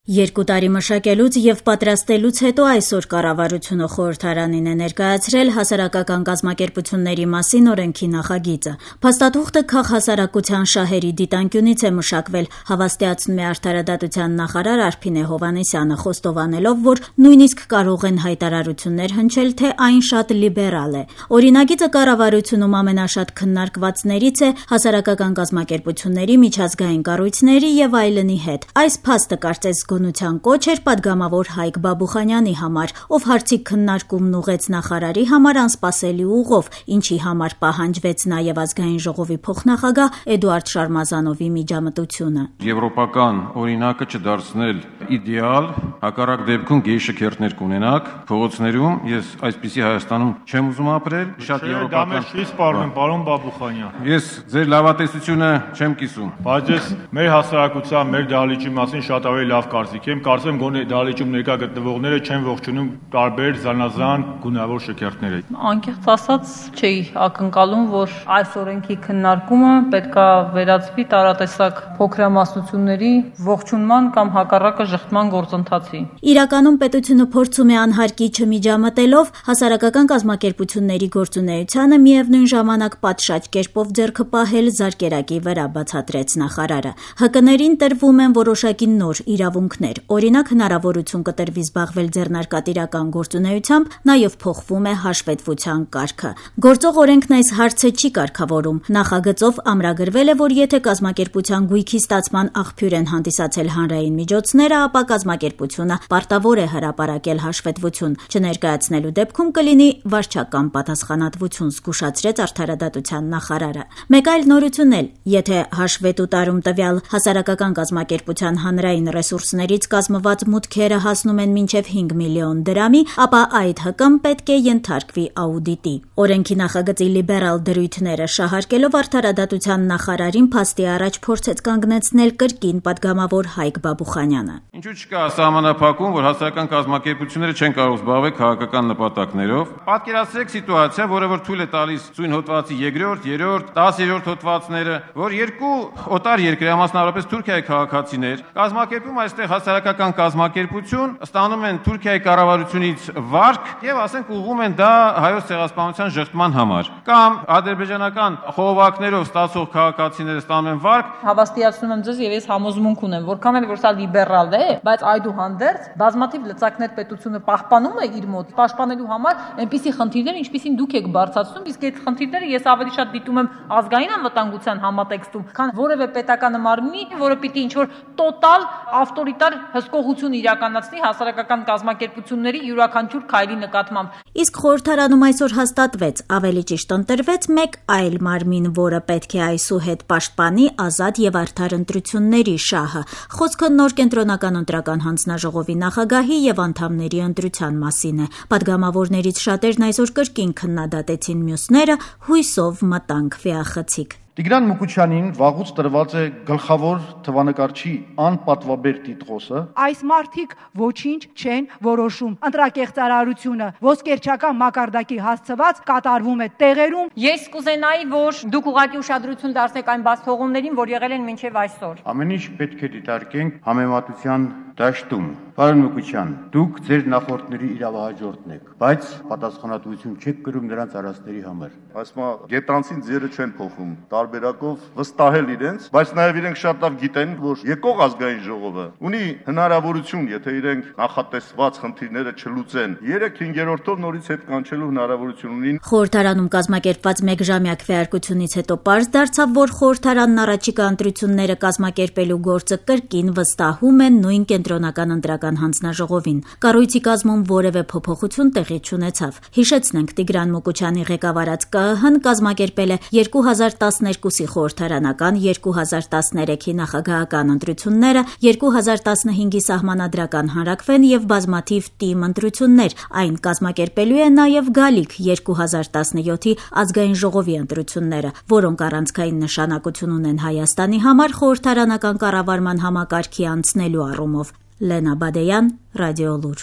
2 տարի մշակելուց եւ պատրաստելուց հետո այսօր կառավարությունը խորհրդարանին է ներկայացրել հասարակական կազմակերպությունների մասին օրենքի նախագիծը։ Փաստաթուղթը քաղհասարակության շահերի դիտանկյունից է մշակվել, հավաստիացնում է արդարադատության նախարար Արփինե Հովհաննիսյանը, խոստովանելով, որ նույնիսկ կարող են հայտարարություններ հնչել, թե այն շատ լիբերալ է։ Օրինագիծը կառավարությունում ամենաշատ քննարկվածներից է հասարակական կազմակերպությունների, միջազգային կառույցների եւ այլնի հետ։ Այս փաստը կարծես գոնության կոչ էր պատգամավոր Հայկ Բաբուխանյանի համար, ով հարցի քննարկումն ուղեց նախարարի համար անսպասելի ուղով, ինչի համար պահանջվեց նաև ազգային ժողովի փոխնախագահ Էդուարդ Շարմազանովի միջամտությունը։ Եվրոպական օրինակը չդարձնել իդեալ, հակառակ դեպքում գեյ շքերթներ կունենաք փողոցներում, ես այսպիսի Հայաստանում չեմ ուզում ապրել, շատ եվրոպական։ Չի սպառնում, պարոն Բաբուխանյան։ Ես ձեր լավատեսությունը չեմ կիսում։ Բայց ես մեր հասարակության, մեր դահլիճի մասին շատ ավելի լավ կարծիք եմ, կարծեմ գոնե դահլիճում ներկա գտնվողները չեն ողջունում տարբեր զանազան գունավոր շքերթները։ Անկեղծ ասած, չէի ակնկալում, որ այս օրենքի քննարկումը պետքա վերածվի տարատեսակ փոքրամասնությունների ողջունման կամ հակառակը ժխտման գործընթացի։ Իրականում պետությունը փորձում է անհարկի չմիջամտելով հասարակական կազմակերպությունների գործունեությանը միևնույն ժամանակ պատշաճ կերպով ձեռքը պահել զարկերակի վրա, բացատրեց նախարարը։ ՀԿ-ներին տրվում են որոշակի նոր իրավունքներ, օրինակ հնարավորություն կտրվի զբաղվել ձեռնարկատիրական գործունեությամբ, նաև փոխվում է հաշվետվության կարգը։ Գործող օրենքն այս հարցը չի կարգավորում։ Նախագծով ամրագրվել է, որ եթե կազմակերպության գույքի ստացման աղբյուր են հանդիսացել հանրային միջոցները, ապա կազմակերպությունը պարտավոր է հրապարակել հաշվետվություն, չներկայացնելու դեպքում կլինի վարչական պատասխանատվություն, զգուշացրեց արդարադատության նախարարը։ Մեկ այլ նորություն էլ, եթե հաշվետու տարում տվյալ հասարակական կազմակերպության հանրային ռեսուրսներից կազմված մուտքերը հասնում են մինչև 5 միլիոն դրամի, ապա այդ ՀԿ-ն պետք է ենթարկվի աուդիտի։ Օրենքի նախագծի լիբերալ դրույթները շահարկելով արդարադատության նախարարին փաստի առաջ փորձեց կանգնեցնել կրկին պատգամավոր Հայկ Բաբուխանյանը։ Ինչու՞ չկա սահմանափակում, որ հասարակական կազմակերպությունները չեն կարող զբաղվել քաղաքական նպատակներով։ Պատկերացրեք սիտուացիա, որը որ թույլ է տալիս սույն հոդվածի 2-րդ, 3-րդ, 10-րդ հոդվածները, որ երկու օտար երկրի, մասնավորապես Թուրքիայի քաղաքացիներ կազմակերպում այստեղ հասարակական կազմակերպություն, ստանում են Թուրքիայի կառավարությունից վարկ եւ ասենք ուղղում են դա հայոց ցեղասպանության ժխտման համար։ Կամ ադրբեջանական խողովակներով ստացող քաղաքացիները ստանում են վարկ։ Հավաստիացնում եմ ձեզ եւ ես համոզմունք ունեմ, որքան էլ որ սա լիբերալ է, բայց այդուհանդերձ բազմաթիվ լծակներ պետությունը պահպանում է իր մոտ, պաշտպանելու համար այնպիսի խնդիրներ, ինչպիսին դուք եք բարձրացնում, իսկ այդ խնդիրները ես ավելի շատ դիտում եմ ազգային անվտանգության համատեքստում, քան որևէ պետական մարմնի, որը պիտի ինչ-որ տոտալ ավտորիտար հսկողություն իրականացնի հասարակական կազմակերպությունների յուրաքանչյուր քայլի նկատմամբ։ Իսկ խորհրդարանում այսօր հաստատվեց, ավելի ճիշտ ընտրվեց մեկ այլ մարմին, որը պետք է այսուհետ պաշտպանի ազատ եւ արդար ընտրությունների շահը։ Խոսքը նոր կենտրոնական ընտրական հանձնաժողովի նախագահի եւ անդամների ընտրության մասին է։ Պատգամավորներից շատերն այսօր կրկին քննադատեցին մյուսները, հույսով մտանք վեախցիկ։ Տիգրան Մուկուչյանին վաղուց տրված է գլխավոր թվանկարչի անպատվաբեր տիտղոսը։ Այս մարդիկ ոչինչ չեն որոշում։ Ընտրակեղծարարությունը ոսկերչական մակարդակի հասցված կատարվում է տեղերում։ Ես կուզենայի, որ դուք ուղղակի ուշադրություն դարձնեք այն բացթողումներին, որ եղել են մինչև այսօր։ Ամեն ինչ պետք է դիտարկենք համեմատության դաշտում։ Պարոն Մուկուչյան, դուք ձեր նախորդների իրավահաջորդն եք, բայց պատասխանատվություն չեք կրում նրանց արածների համար։ Այսմա գետանցին ձերը չեն փոխում, տարբերակով վստահել իրենց, բայց նաև իրենք շատ լավ գիտեն, որ եկող ազգային ժողովը ունի հնարավորություն, եթե իրենք նախատեսված խնդիրները չլուծեն, 3-5-րդով նորից հետ կանչելու հնարավորություն ունին։ Խորհրդարանում կազմակերպված մեկժամյա քվեարկությունից հետո պարզ դարձավ, որ խորհրդարանն առաջիկա ընտրությունները կազմակերպելու գործը կրկին վստահում է նույն կենտրոնական ընտրական հանձնաժողովին։ Կառույցի կազմում որևէ փոփոխություն տեղի չունեցավ։ Հիշեցնենք, Տիգրան Մուկուչյանի ղեկավարած ԿԸՀ-ն կազմակերպել է 2012-ի խորհրդարանական, 2013-ի նախագահական ընտրությունները, 2015-ի սահմանադրական հանրաքվեն եւ բազմաթիվ թիմ ընտրություններ։ Այն կազմակերպելու է նաեւ գալիք 2017-ի ազգային ժողովի ընտրությունները, որոնք առանցքային նշանակություն ունեն Հայաստանի համար խորհրդարանական կառավարման համակարգի անցնելու առումով։ Լենա Բադեյան, Ռադիոլուր։